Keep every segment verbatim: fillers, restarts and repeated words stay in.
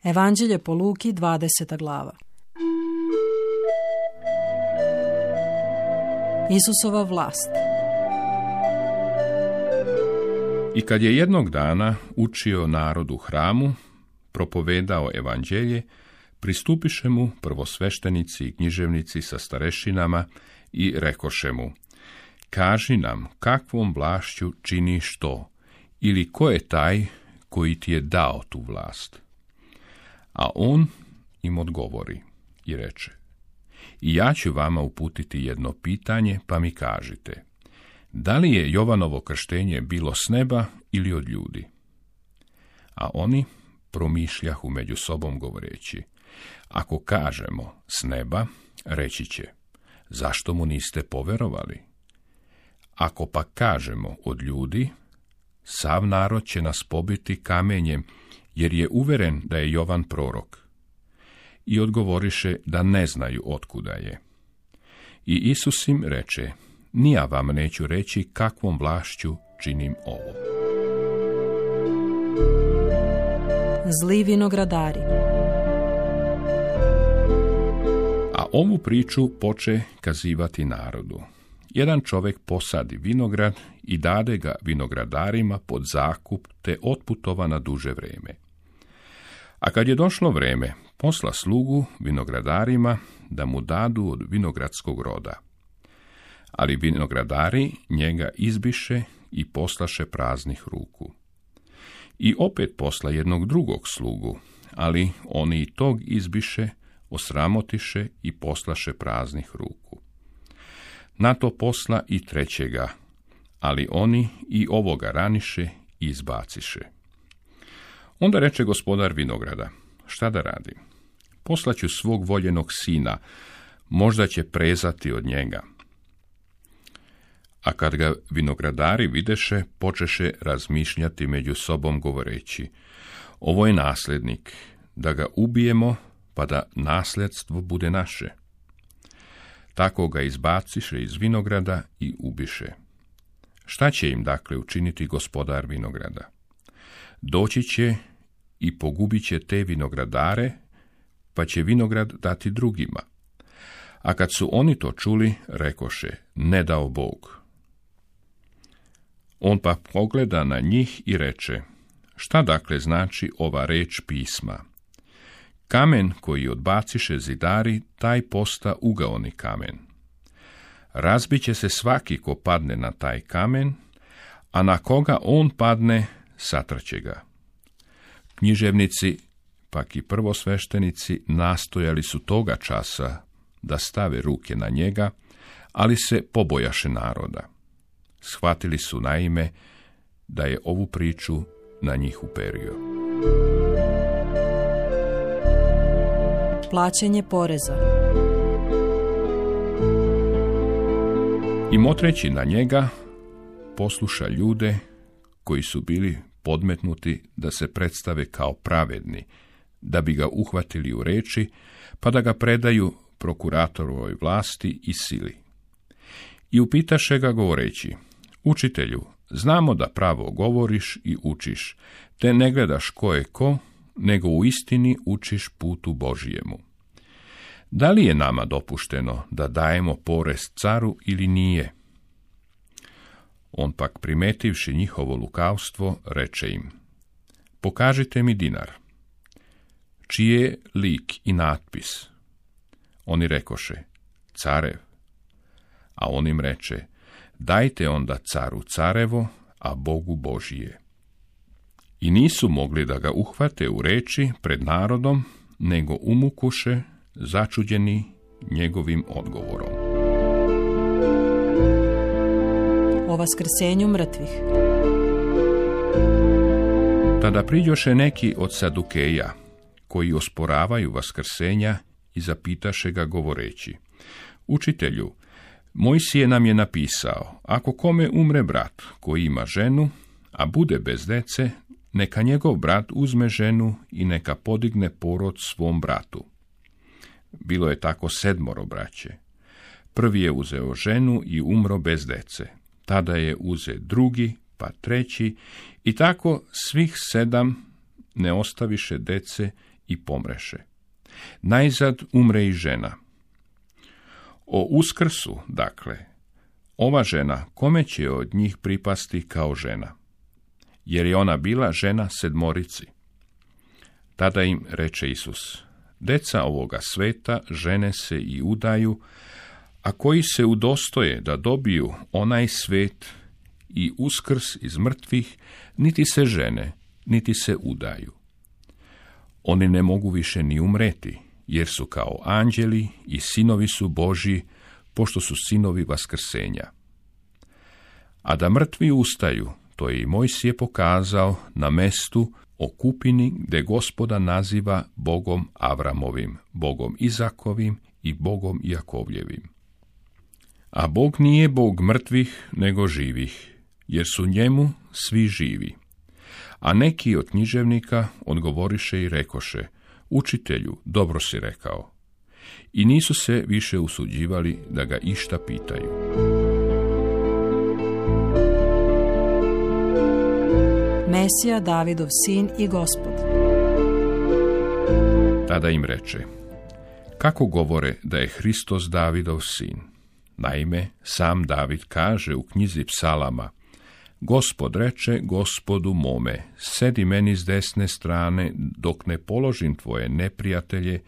Evanđelje po Luki, dvadeseta glava. Isusova vlast. I kad je jednog dana učio narod u hramu, propovedao evanđelje, pristupiše mu prvosveštenici i književnici sa starešinama i rekoše mu: kaži nam, kakvom vlašću činiš to, ili ko je taj koji ti je dao tu vlast? A on im odgovori i reče: i ja ću vama uputiti jedno pitanje, pa mi kažite, da li je Jovanovo krštenje bilo s neba ili od ljudi? A oni promišljahu među sobom govoreći: ako kažemo s neba, reći će: zašto mu niste poverovali? Ako pa kažemo od ljudi, sav narod će nas pobiti kamenjem, jer je uveren da je Jovan prorok. I odgovoriše da ne znaju otkuda je. I Isus im reče: ni ja vam neću reći kakvom vlašću činim ovo. Zli vinogradari. A ovu priču poče kazivati narodu. Jedan čovjek posadi vinograd i dade ga vinogradarima pod zakup, te otputova na duže vreme. A kad je došlo vreme, posla slugu vinogradarima da mu dadu od vinogradskog roda. Ali vinogradari njega izbiše i poslaše praznih ruku. I opet posla jednog drugog slugu, ali oni i tog izbiše, osramotiše i poslaše praznih ruku. Na to posla i trećega, ali oni i ovoga raniše i izbaciše. Onda reče gospodar vinograda: šta da radim? Poslaću svog voljenog sina, možda će prezati od njega. A kad ga vinogradari videše, počeše razmišljati među sobom govoreći: ovo je nasljednik, da ga ubijemo, pa da nasljedstvo bude naše. Tako ga izbaciše iz vinograda i ubiše. Šta će im dakle učiniti gospodar vinograda? Doći će i pogubit će te vinogradare, pa će vinograd dati drugima. A kad su oni to čuli, rekoše: ne dao Bog. On pa pogleda na njih i reče: šta dakle znači ova reč pisma? Kamen koji odbaciše zidari, taj posta ugaoni kamen. Razbiće se svaki ko padne na taj kamen, a na koga on padne, satrće ga. Književnici, pak i prvosveštenici, nastojali su toga časa da stave ruke na njega, ali se pobojaše naroda. Shvatili su naime da je ovu priču na njih uperio. Plaćanje poreza. I motreći na njega, posluša ljude koji su bili podmetnuti da se predstave kao pravedni, da bi ga uhvatili u reči, pa da ga predaju prokuratorovoj vlasti i sili. I upitaše ga govoreći: učitelju, znamo da pravo govoriš i učiš, te ne gledaš ko je ko, nego u istini učiš putu Božijemu. Da li je nama dopušteno da dajemo porez caru ili nije? On pak, primetivši njihovo lukavstvo, reče im: pokažite mi dinar. Čiji je lik i natpis? Oni rekoše: carev. A on im reče: dajte onda caru carevo, a Bogu Božije. I nisu mogli da ga uhvate u reči pred narodom, nego umukuše, začuđeni njegovim odgovorom. O vaskrsenju mrtvih. Tada priđoše neki od Sadukeja, koji osporavaju vaskrsenja, i zapitaše ga govoreći: učitelju, Mojsije nam je napisao, ako kome umre brat koji ima ženu, a bude bez dece, neka njegov brat uzme ženu i neka podigne porod svom bratu. Bilo je tako sedmoro braće. Prvi je uzeo ženu i umro bez dece. Tada je uze drugi, pa treći, i tako svih sedam ne ostaviše dece i pomreše. Najzad umre i žena. O uskrsu, dakle, ova žena, kome će od njih pripasti kao žena? Jer je ona bila žena sedmorici. Tada im reče Isus: deca ovoga sveta žene se i udaju, a koji se udostoje da dobiju onaj svet i uskrs iz mrtvih, niti se žene, niti se udaju. Oni ne mogu više ni umreti, jer su kao anđeli i sinovi su Božji, pošto su sinovi vaskrsenja. A da mrtvi ustaju, to je i Mojsije pokazao na mestu o kupini gde Gospoda naziva Bogom Avramovim, Bogom Izakovim i Bogom Jakovljevim. A Bog nije Bog mrtvih, nego živih, jer su njemu svi živi. A neki od književnika odgovoriše i rekoše: učitelju, dobro si rekao. I nisu se više usuđivali da ga išta pitaju. Mesija, Davidov sin i Gospod. Tada im reče: kako govore da je Hristos Davidov sin? Naime, sam David kaže u knjizi Psalama: Gospod reče Gospodu mome, sedi meni s desne strane, dok ne položim tvoje neprijatelje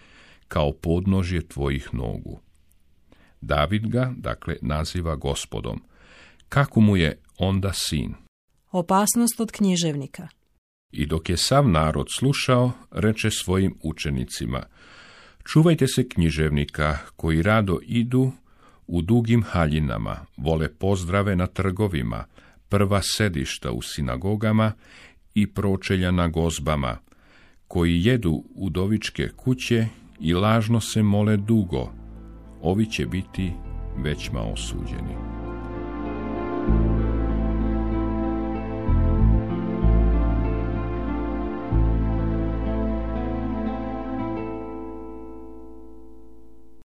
kao podnožje tvojih nogu. David ga, dakle, naziva Gospodom. Kako mu je onda sin? Opasnost od književnika. I dok je sav narod slušao, reče svojim učenicima: čuvajte se književnika koji rado idu u dugim haljinama, vole pozdrave na trgovima, prva sedišta u sinagogama i pročelja na gozbama, koji jedu udovičke kuće i lažno se mole dugo, ovi će biti većma osuđeni.